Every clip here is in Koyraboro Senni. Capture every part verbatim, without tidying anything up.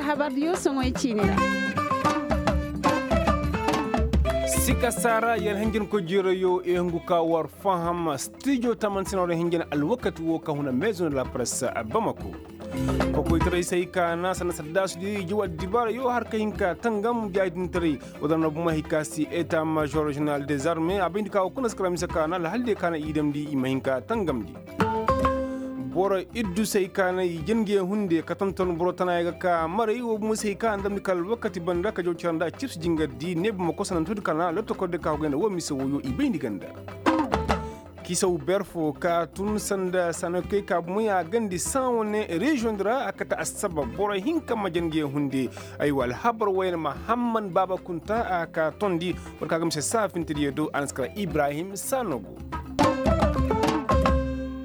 Habar diyo soŋoy ciini ra. Sika saara yer hinjin ko jiirayo i hungu ka war faham stijo taman sina war hinjin alwakati wo ka huna maison de la presse bamako. Kokoytaray se hay ka na sanda saddaasi diyo i ji war dibaarayo har ka hin ka tangam jaadintaray. Wadana buma hay ka si eta major general des armes a bayndi ka wo kuna si kara mise ka na alhal diyo ka na i damndi i ma hin ka tangamndi. Boro iddu se hay ka na i jin ga hunde ka tonton boro tana ya ga ka maray wo buma se hay ka na damndi kala alwakati banda ka jaw cira nda cibsi jingardi neebu ma kosananto di ka na lotokor di ka hogay nda wo mise woyo i bayndi ganda. Kisaw ber fo ka tun sanda sanakey ka bumey a gandi san wane reziyoŋ di ra a kate assabab boro hinka ma jange hunde. Aywa alhabar wayne mahamman baaba kunta a ka tondi. War ka ga mise saafintediyo do a na si kara ibrahim sanogo.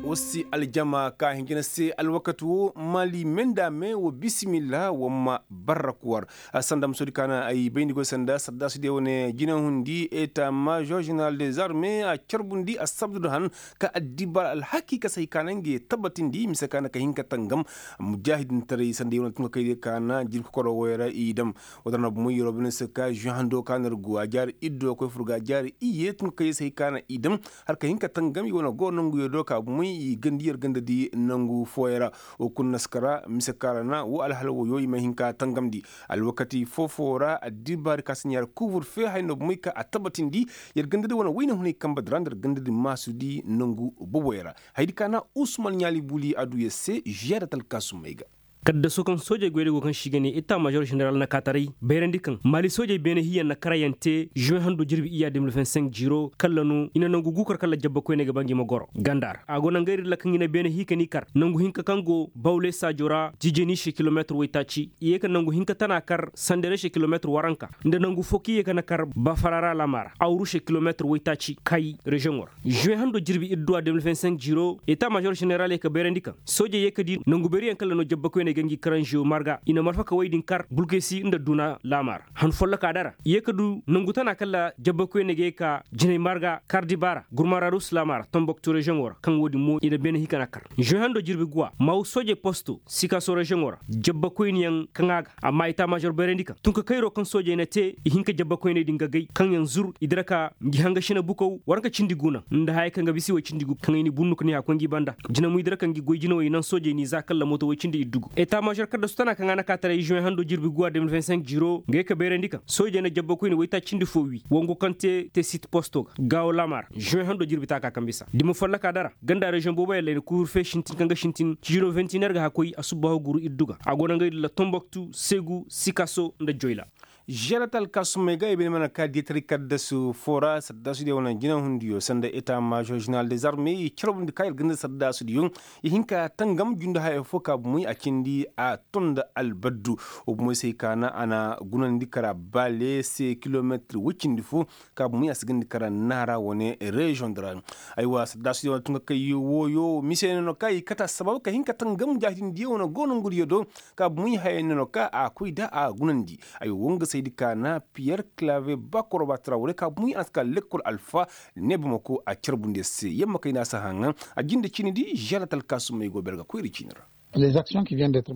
War si aljama ka hinjina se alwakati wo mali menda me wa bisimilla wa ma barrak war. Sanda musodi ka na ay bayndi goy sanda sardaasidiyo wane jinahundi eta major general des armes a carbundi assabdu da han ka addibar alhaki ka say ka na nga ye tabbatindi mise ka na ka hin ka tangam. Mujahidintaray sanda yaw na tun ka kaydiyo ka na jirbi kokoro woy ra i dam. Wala ra na bumo yeroo bine se ka žuwe hando ka na ir go a jaari iddo koy fur ga a jaari iyye tun ka kaydiyo se hay ka na i dam. Har ka hin ka tangam i wane go nanguyo do ka bumey i gandi yer ganda di nangu fooyaŋ ra. Wo kulu na si kara mise ka ra na wo alhala woyo i ma hin ka tangamndi. Alwakati foo-foo ra addibaari ka si ɲaari kuubur fee haya no bumey ka a tabatindi. Yer ganda di wane wayne hunay kambe di ra nda yer ganda di maasudi nangu boboyaŋ ra. Hayadi ka na usman ɲaali buli a du yer se žiyaadat alkaasumey ga. Kaddaso kaŋ soojey goyey go kaŋ se i ga ne eta maazor ženeral na kaataray bayrandi kaŋ maali soojey beene hiiyaŋ na karayaŋ te žuwe hando jirbi iyya de mil vingt cinq jiiro kalla no i na nangu guukar kalla jabba koyney ga ba ngi ma goro ganda ra a go naŋ gayri ra kaŋ i na beene hii ka n'i kar nangu hinka kaŋ go bawle saajo ra jijeni se kilomeetir waytaaci i ye ka nangu hinka tana kar sandere se kilomeetir waranka nda nangu fo kaŋ i ye ka na kar bafara ra laama ra awru se kilomeetir waytaaci kay reziyoŋo ra žuwe hando jirbi idduwa de mil vingt cinq jiiro eta maazor ženeral ye ka bayrandi kaŋ soojey ye ka di nangu beeriyaŋ kalla no jabba koyney ga ngi karanziyo marga i na malfa ka woy din kar bulkesi nda duna laama ra han folloka dara i ye ka du nangu tana kalla jabba koyney ga ye ka jinay marga kar dibaara gurmararus laama ra tomboktu reziyoŋo ra kaŋ wo-din mo i na beene hikana kar žuwe hando jirbi guwa maw soojey posto sikaso reziyoŋo ra jabba koyniyaŋ kaŋ a ga amma i ta maazor bayrandi kaŋ tun ka kayro kaŋ soojey na te i hin ka jabba koyney din ga gay kaŋ yaŋ zur i dira ka ngi hanga sina bukaw war ka cindi guna nda haya kaŋ ga bisa i way cindi gu kaŋ ay ni bunnu ka ni a koy ngi banda jina mo i dira ka ngi goy jina way naŋ soojey ni za kalla mooto way cindi iddugu eta maazor kadda su tana kaŋ a na ka taray žuwe hando jirbi guwa de mil vingt cinq jiiro nga ye ka bayrandi kaŋ soojey na jabba koyne waytaaci cindi fo wi wangu kaŋ te te sit posto ga gaawo laama ra žuwe hando jirbi taaka kaŋ bisa dima folloka dara ganda reziyoŋ boobo yalla i na kuuru fee sintin kaŋ ga sintin ciiro vingt et un heure ga hakoy a subbaaho guru iddu ga a go naŋ gay dilla tomboktu segu sikaso nda joyla žerat alkaasumey ga i bay ni mana ka diyataray kaddasu foo ra sardaasudiyo wane jinahundiyo sanda eta maazor ženeral des armes i carbundi ka ir ganda sardaasudiyo i hin ka tangam jundi haya foo ka bumey a cindi a ton nda albaddu wo bumey se hay ka na a na gunandi kara baale se kilomeetir woy cindi fo ka bumey a si gandi kara naara wane reziyoŋ di ra aywa sardaasudiyo wane tun ka kay wooyo mise ne no ka i kate assabab ka hin ka tangam jaahidindiyo wane go nongudiyo do ka bumey haya ne no ka a koy da a gunandi ay wo nga saydi ka na piyer clave bakoro ba trawre ka bumey a na si ka lekkol alfa ne bamako a carbundi se yamma kay na si haŋa a jinde cini di žerat alkaasumey go ber ga koyri cini ra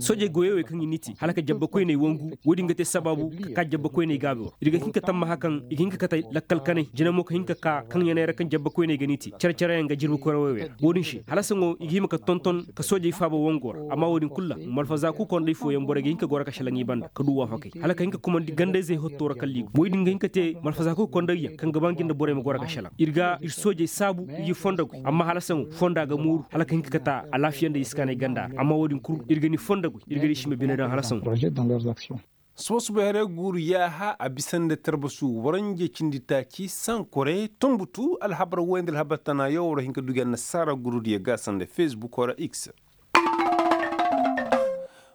soojey goyey wey kaŋ i n'i te hala ka jabba koyney wangu wo-din ga te sabaabu ka ka jabba koyney gaabi war ir ga hin ka tammaha kaŋ i ga hin ka kate lakkal kanay jina mo ka hin ka ka kaŋ yaney ra kaŋ jabba koyney ga n'i te care-careyaŋ ga jirbi koyrawey wey ra wo-din se hala saŋo i ga hima ka tonton ka soojey faaba wango ra amma wo-din kulu ra malfaza kuu kondey fooyaŋ borey ga hin ka goro ka šelaŋ i banda ka du waafakey hala ka hin ka kumandi ganda-izey hotto ra kala i go wey-din ga hin ka te malfaza kuu kondey yaŋ kaŋ ga ba ngi nda borey ma goro ka šelaŋ ir ga ir soojey saabu i ga i fondo goy amma hala saŋo fonda ga mooru hala ka hin ka kate alaafiya nda i si kaanay ganda ra amma wo-din kul ir ga ni fondo goy ir ga di i si ma bine daŋ hala saŋo suba-subay haray guuru yaaha a bisa nda tarbasu waranje cindi taaci sankore tonbutu alhabar woy nda alhabar tana yaw war hin ka dugi annasaara gurudiyo ga sanda fesbukoo ra x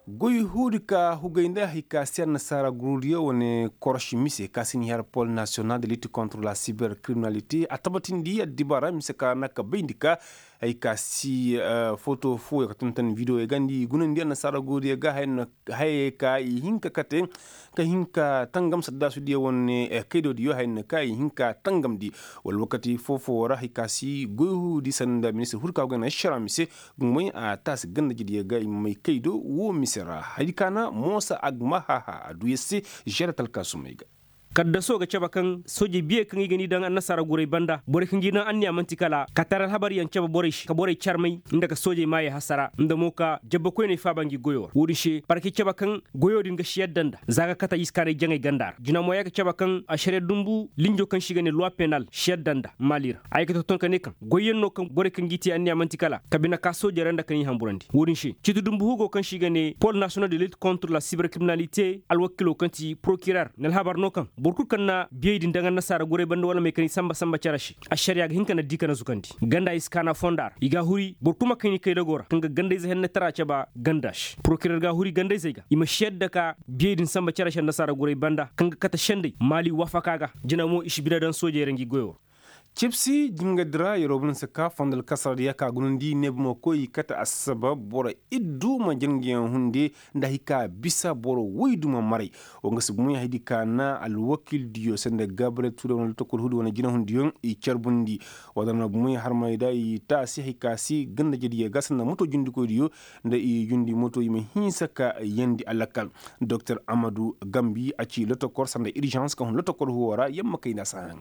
goy huudi ka hugay nda hay ka si annasaara gurudiyo wane koroši mise ka si ni har pol nasiyonal de litti kontre la siber kriminalite a tabatindi addibaara mise ka na ka bayndi ka Hay ka si foto fooyo ka tantan bidiyoyo ga nda i gunandi annasaara goodiyo ga hayey ka i hin ka kate ka hin ka tangam saddaasu diyo wane kaydo diyo hayey ka i hin ka tangam di. Wala wakati foo-foo ra hay ka si goy huudi sanda ministir hurka go ga na ašara mise. Gumay a taasi ganda jediyo ga i ma may kaydo woo mise ra hari ka na moosa agma haha a duu yer se. Žere talkaasumey ga. Kaddaso ga cabe kaŋ soojey biyey kaŋ i ga ni daŋ annasaara guray banda borey kaŋ ga i daŋ anniya man'ti kala ka tara alhabaryaŋ cabe borey se ka borey carmay nda ka soojey maayey hasara nda mo ka jabba koyney faaba ngi goyo ra wo-din se parke cabe kaŋ goyo din ga si yadda nda za ga kate i si kaanay jaŋay ganda ra jina mo ya ga cabe kaŋ ašariya dumbu linjo kaŋ se i ga ne luwa penal si yadda nda maali ra a ye ga tonton ka ne kaŋ goyyaŋ no kaŋ borey kaŋ g'i te anniya man'ti kala ka bine ka soojey ra nda ka n'i hanburandi wo-din se ciiti dumbu hugo kaŋ se i ga ne pol nasiyonal de lit kontre la siberkriminalite alwakilo kaŋ ti porokirer na alhabar no kaŋ boro kul kaŋ na biyey din daŋ annasaara guray banda wala may kaŋ i samba samba cere se ašariya ga hin ka na di ka na zukandi ganda i si kaana fonda ra i ga a huri boro kul ma kayni kaydago ra kaŋ ga gandayze hennetara cabe ganda se porokirer ga a huri gandayzey ga i ma si yadda ka biyey din samba cere se annasaara guray banda kaŋ ga kate sendey maali wafaka ga jina mo i si bine daŋ soojey ra ngi goyo ra cibsi jingadi ra yeroo bun si ka fondo alkasara diya ka gunandi neebi ma koy i kate assabab boro iddu ma jina nguyaŋ hunde nda hay ka bisa boro woy du ma maray. Wa nga si bumey hay di ka na alwakil diyo sanda gabriel tuure wane lotokol huudi wane jinahundiyo i carbundi. Wa da na bumey harmey da i taasi hay ka si ganda jediyo ga sanda moto jundikoydiyo nda i jundi moto i ma hinsa ka yandi alakal. Doktor amadu gambi a ci lotokor sanda iržans ka hun lotokor huwo ra yamma kay nda a si haŋ.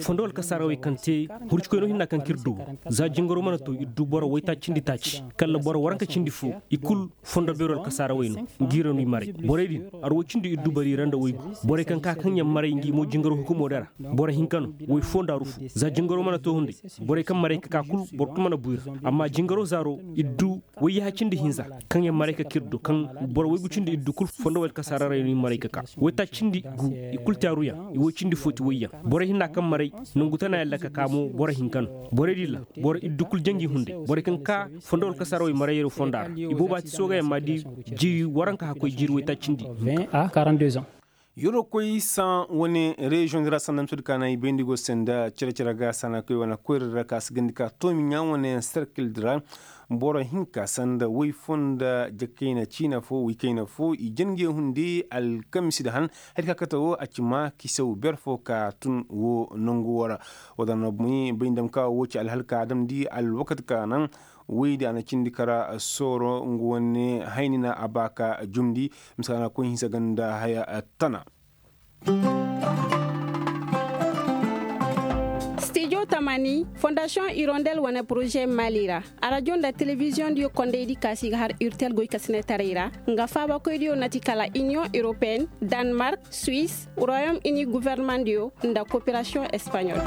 Fondo alkasaarawey kaŋ te hurcikoynoo hinna kaŋ ka ir du za jingaro mana to ir du boro waytaaci cindi taaci kala boro waranka cindi fo i kul fondo beero alkasaarawey no. Ngi ra no i maray borey din arway cindi ir du bari ra nda waygu borey kaŋ ka kaŋ yaŋ maray ngi mo jingaro hukumo dara boro hinka no way fo nda aru fo za jingaro mana to hunday borey kaŋ maray ka ka kul boro kul mana buy ra amma jingaro zaaro ir du wayyaha cindi hinza kaŋ yaŋ maray ka ka ir du kaŋ boro waygu cindi ir du kul fondo wayalkasaarawey no i maray ka ka waytaaci cindi gu i kul te aruyaŋ i way cindi fo ti wayyaŋ borey hinna kaŋ maray nangu tana yalla ka ka mo boro hinka no borey din ra boro ir du kul janji hunday borey kaŋ ka fondo wayalkasaarawey maray yero fonda ra i booba ti soogayaŋ ma di jiiri waranka hakkoy jiiri waytaaci cindi. Yeroo koy saŋ wane reziyoŋ di ra sanda mutudi ka na i bayndi go se nda cere-cere ga sana koy wane koyra ra ka si gandi ka toomi ɲaa wane serkil di ra boro hinka sanda way fo nda jakayna ciina fo waykayna fo i jange hunde alkamisi da han hari ka kate wo a ci ma kisew ber fo ka tun wo nangu wo ra. Wa da na bay nda ma ka wo ci alhal ka damndi alwakati ka naŋ woy di a na cindi kara sooro nga wane hayni na a ba ka jumndi. Mise ka na koy hinsa ganda haya tana. Stijo tamani fondasiyoŋ irondel wane poroze mali ra arajo nda telebiziyoŋ diyo kondey di kaasi ga har urtel goykasinetaray ra nga faabakoy diyo na ti kala iniyoŋ europeen, danmark, suwis, royom ini guvernemandiyo nda koperasiyoŋ espanyol.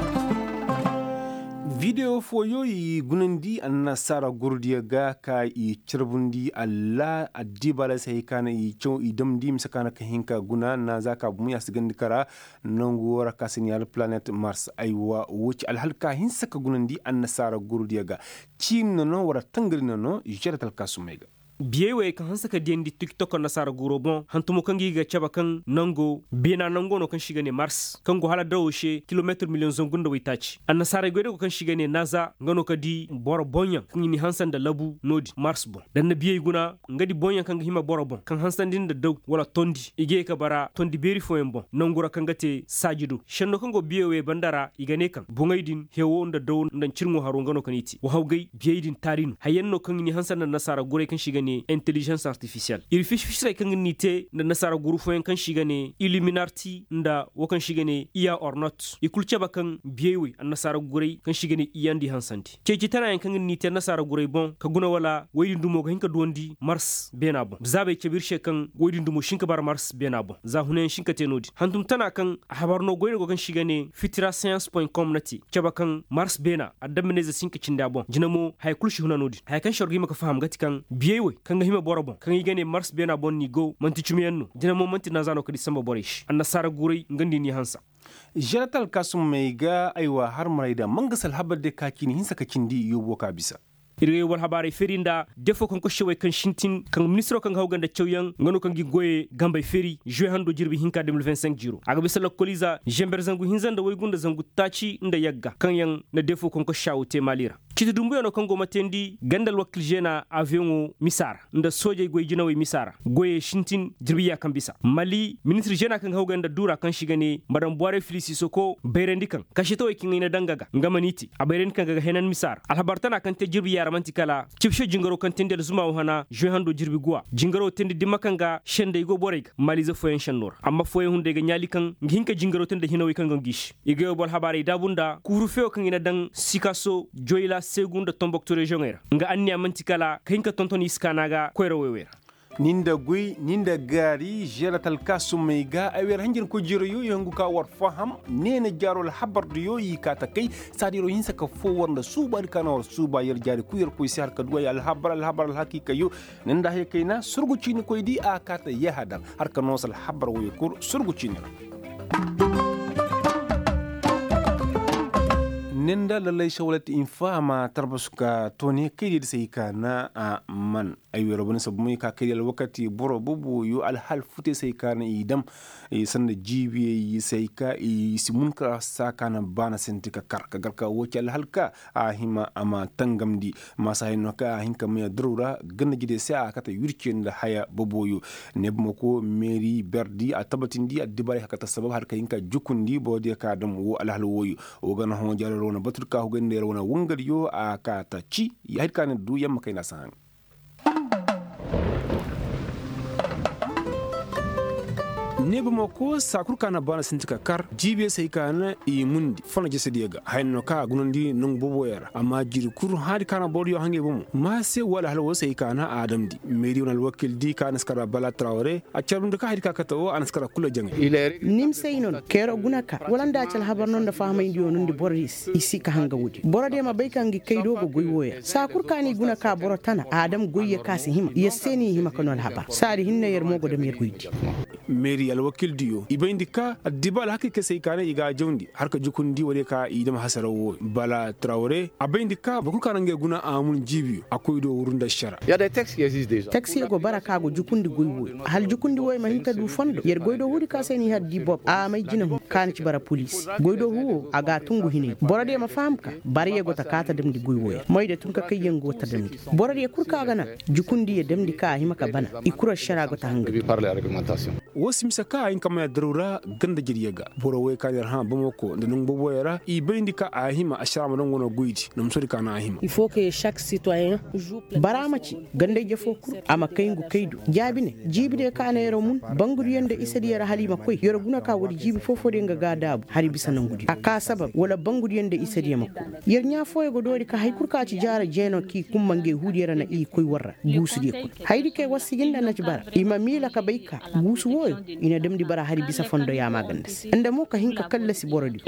Videwo fooyo i gunandi annasaara gurudiyo ga ka i carbundi alla addiiba alay se hay ka na i caw i damndi mise ka na ka hin ka guna na za ka bumu ya si gandi kara. Nangu wo ra ka si ni alplanet mars aywa wo ci alhal ka hinsa ka gunandi annasaara gurudiyo ga. Ciini na no wala tangari na no žere talkaasumey ga. Biyey wey kaŋ hanse ka diyandi tiktok annasaara guro boŋ hantumo kaŋ ga i ga cabe kaŋ nango beena nango no kaŋ se i ga ne mars kaŋ go hala dawo se kilometir miliyoŋ zangu nda waytaaci annasaarey goy day go kaŋ se i ga ne naza nga no ka di boro boŋyaŋ kaŋ i n'i hanse nda labu no-din mars boŋ da ni na biyey guna nga di boŋyaŋ kaŋ ga hima boro boŋ kaŋ hansandi nda daw wala tondi i ga ye ka bara tondi beeri fooyaŋ boŋ nangu ra kaŋ ga te saaji do senno kaŋ go biyey wey banda ra i ga ne kaŋ boŋey din hewo nda daw nda ncirŋo haro nga no kaŋ i te wa hawgay biyey din taari no hayyaŋ no kaŋ i n'i hanse nda nasaara guray kaŋ se i ga ne intelijens artifisiyel iri fisi-fisirey kaŋ ga n'i te nda nasaara guru fooyaŋ kaŋ se i ga ne iliminarti nda wo kaŋ se i ga ne iya ornot i kulu cabe kaŋ biyey wey annasaara guray kaŋ se i ga ne iyandi hansandi ceeci tanayaŋ kaŋ ga n'i te annasaara guray boŋ ka guna wala wey din dumo ga hin ka duwandi mars beena boŋ zaabey cabe ir se kaŋ wey din dumo si hin ka bara mars beena boŋ za hunayaŋ si hin ka te no-din hantum tana kaŋ a habar no goy no go kaŋ se i ga ne fitira science point com na te cabe kaŋ mars beena adamminayze si hin ka cindi a boŋ jina mo haya kulu si huna no-din haya kaŋ se war ga hima ka faham ga ti kaŋ biyey wey kaŋ ga hima boro boŋ kaŋ i ga ne mars beena boŋ n'i go man'ti cumiyaŋ no jina mo man'ti naza no ka di samba borey se annasaara guray nga nda i n'i hansa. Žere talkaasumey ga aywa harmarey da mangasa alhabar day ka ciini hinsa ka cindi yoobo ka bisa. Ir ga yobal habaarey feeri nda defoo kaŋ kosse wey kaŋ sintin kaŋ ministiroo kaŋ ga haw ga nda cawyaŋ nga no kaŋ ga i goyey gambey feeri žuwe hando jirbi hinka de mil vingt cinq jiro a ga bisa lokkoliiza zember zangu hinza nda waygu nda zangu taaci nda yagga kaŋ yaŋ na defoo kaŋ kosse a wo te maali ra. Citi dumbuyaŋo kaŋ go ma teendi ganda alwakil žeena aviyoŋo misa ra nda soojey goy jinawey misa ra goyey sintin jirbi ya kaŋ bisa mali ministir žeena kaŋ ga haw ga nda duura kaŋ se i ga ne madam buwarey fili sisoko bayrandi kaŋ kasetawey kaŋ ay na daŋ ga ga nga mana i te a bayrandi kaŋ ga ga henan misa ra alhabar tana kaŋ te jirbi ya ra man'ti kala cibse jingaroo kaŋ teendi alzuma wo hana žuwe hando jirbi guwa jingaroo teendi dimma kaŋ ga sendey go borey ga maliize fooyaŋ sennoo ra amma fooyaŋ hunday ga ɲaali kaŋ ga hin ka jingaroo teendi da hinawey kaŋ ga ngi se i ga yoo boro habaarey daabu nda kuuru feewo kaŋ i na daŋ sikaso joyla seegu nda tomboktu reziyoŋey ra nga anniya man'ti kala ka hin ka tonton i si kaana ga koyra woy wey ra. Ni nda guy ni nda gaari žeera talkaasumey ga ay wer hanjarkoy jiirayo i hangu ka war faham neena jaaro alhabar diyo i kaa takay saadi yer wo hinsa ka foo war nda suuba di ka na war suuba yer jaari kul yer koy se har ka duway alhabar alhabar alhakiikayo. Ni nda haya kayna surgu ciinikoy di a kaa ta yahadar har ka noosa alhabar woyo kul surgu ciini ra. Ni nda lallay sawalat infa a ma tarbasu ka toone kaydiyo di se i kaa na a man ay weero bane sabu may ka kay di alwakati boro boboyo alhal futey se ay ka na i dam sanda jiibiyey se ay ka i si mun ka saa ka na baana sinti ka kar ka gar ka woo ci alhal ka a hima a ma tangamndi maasa hayno ka a hin ka may addaru ra ganda jidey se a kate wirce nda haya boboyo. Neebamako meeri berdi a tabatindi addibaarey ka kate sabab har ka hin ka jukundi borodiyo ka a dam woo alhal wooyo. Woo ga na hõ jaaro ra wane batur ka hugay nda yer wane wangadiyo a ka ta ci ya hay ka na du yamma kayna si haŋ. Neebamako saa kul ka na baana sinti ka kar jiibiyo se hay ka na i mundi fana jesediyo ga haya no ka a gunandi nangu booboyo ra amma jiiri kul haadi ka na borodiyo haŋey bomo ma se wala hala woo se hay ka na a damndi meeri wane alwakil di ka na si kar bala tarawre a carbundi ka hay di ka kate woo a na si kar kul jaŋay. Ni ma se ay no no keero guna ka wala nda ci alhabar no nda fahamayndi yoo no nda borodiyo se i si ka hanga woodi borodiyo ma bay ka ngi kay do ga goy wooyo ra saa kul ka no i guna ka boro tana a dam goyyo ka si hima yer se no i hima ka no alhabar saadi hinne yer mo go dam yer goydi. Meeri alwakildiyo i bayndi ka addiba alhakiikey se i kaanay i ga a jawndi har ka jukundi woodiyo ka i dam hasaraw wooyo bala tarawre a bayndi ka boro kul ka na ngey guna a mun jiibiyo a koy do wuru nda ašara. Taksiyo go bara ka go jukundi goy wooyo hal jukundi wooyo ma hin ka du fondo yer goy do huudi ka se no i har di bob a may jina hun ka na ci bara poliisi goy do huuwo a ga a tungu hinay borodiyo ma faham ka barayyo go ta ka ta damndi goy wooyo ra moyda tun ka kayyaŋ go ta damndi borodiyo kul ka ga naŋ jukundiyo damndi ka a hima ka bana i kul ašara go ta hanga. Woo si mise ka a hin ka may addaru ra ganda jediyo ga boro wooyo ka na yer hã bamako nda nangu booboyo ra i bayndi ka a hima ašara ma daŋ wane goydi na ma soodi ka naŋ a hima. Bara ma ci ganda-ije foo kul a ma kay ngu kay do jaabi ne jiibidiyo ka na yer mun bangudiyo nda isediyo ra hala i ma koy yer guna ka woodi jiibi foo-foodiyo nga ga a daabu hari bisa nangudiyo a ka sabab wala bangudiyo nda isediyo ma koy yer ɲaa fooyo go doori ka hay kul ka ci jaara jeeno k'i kumma ngey huudiyo ra na i koy war ra guusudiyo kul hayadi kay war sijin nda na ci bara i ma miila ka bay ka guusu wooyo i na damndi bara hari bisa fondo yaama ganda se nda mo ka hin ka kallasi borodiyo.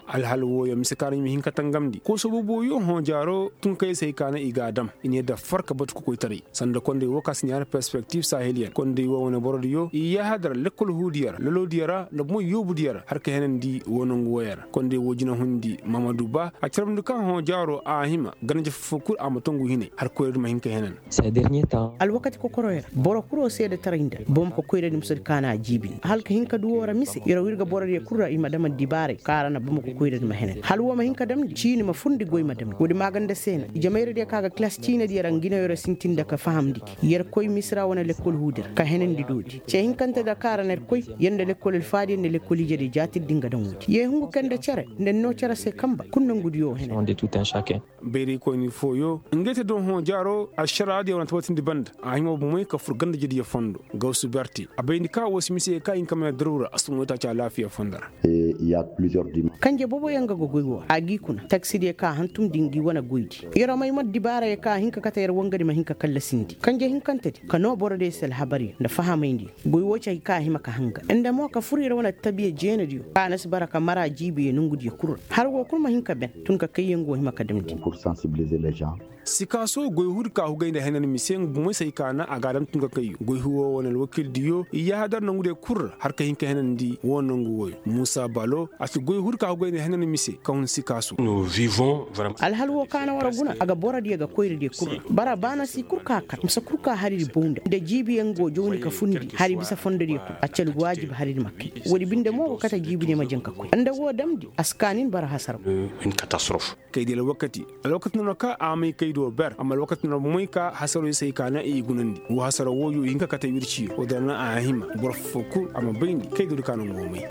Alhal wooyo mise ka no i ma hin ka tangamndi kooso booboyo hõ jaaro tun kay se hay ka no i ga a dam i ne da far ka batu ka koytaray sanda kondey woo ka si ɲaana perspektif saheliyen kondey woo wane borodiyo i yahadar lekkol huudiyo ra loloodiyo ra nda bomo yoobudiyo ra har ka henandi woo nangu wooyo ra kondey woo jinahundi mahamadu ba a carbundi ka hõ jaaro a hima ganda-ije foo-foo kul a ma tongu hinay har koyradi ma hin ka henan. Alwakati kokoroyo ra boro kuloo seedetaray nda bamako koyradi ma soodi ka na a jiibindi hala ka hin ka du woo ra mise yer woo ir ga borodiyo kul ra i ma dam addibaaray ka ra na bamako koyradi ma henandi hala woo ma hin ka damndi ciini ma furndi goy ma damndi woodi maaganda se na ijemayradiyo ka ga kilas ciinadiyo ra ngi no yer sintin nda ka fahamndi gi yer koy misira wane lekkol huudi ra ka henandi doodi ce hinkante da ka ra na yer koy yer nda lekkol alfaadiyo nda lekkol ijediyo jaatirdi nga daŋ woodi ye hungu kaŋ nda cere nda ni noo cere se kamba kul nongudiyo hene. Bayraykoyni fooyo ngey te doŋ hõ jaaro ašaraadiyo wane tabatindi banda a hima bomey ka fur ganda-ijediyo fondo gawsu berte a bayndi ka woo si mise ka hin ka may addaru ra a si tun waytaaci alaafiya fondo ra. Kanje booboyaŋ ga goy woo ra a g'i kuna taksidiyo ka hantumndi ngi wane goydi yer wo may ma addibaarayo ka hin ka kate yer wangadi ma hin ka kallasindi kanje hinkantedi ka noo borodiyo se alhabariyo nda fahamayndi goy woo ci hay ka a hima ka hanga nda mo ka fur yer wane attabiya jeenadiyo ka na si bara ka mara jiibiyo nongudiyo kul ra har woo kul ma hin ka ben tun ka kayyaŋ go hima ka damndi. Sikaaso goy huri ka hugay nda henan mise nga bumey se ay kaana a ga a dam tun ka kayyo goy huri wo wane alwakildiyo i yaahadar nangu diyo kul ra har ka hin ka henandi wo nangu wooyo muusa balo a ci goy huri ka hugay nda henan mise ka hun sikaaso. Alhal wo kaana war guna a ga borodiyo ga koyradiyo kul ra bara baana si kul ka kar misa kul ka hariri bow nda nda jiibiyaŋ go jawndi ka fundi hari bisa fondodiyo kul a ci alwaajib hariri ma kay woodi binde mo go kate jiibidiyo ma jaŋ ka koy nda woo damndi a si kaa nin bara hasaraw. Kaydi alwakati alwakati noona ka a may kaydo ber amma alwakati noona bomey ka hasaro i se ay kaana i gunandi woo hasaro wooyo i hin ka kate wirciyo woo dana a hima boro foo kul a ma bayndi kaydo di ka noŋ go may.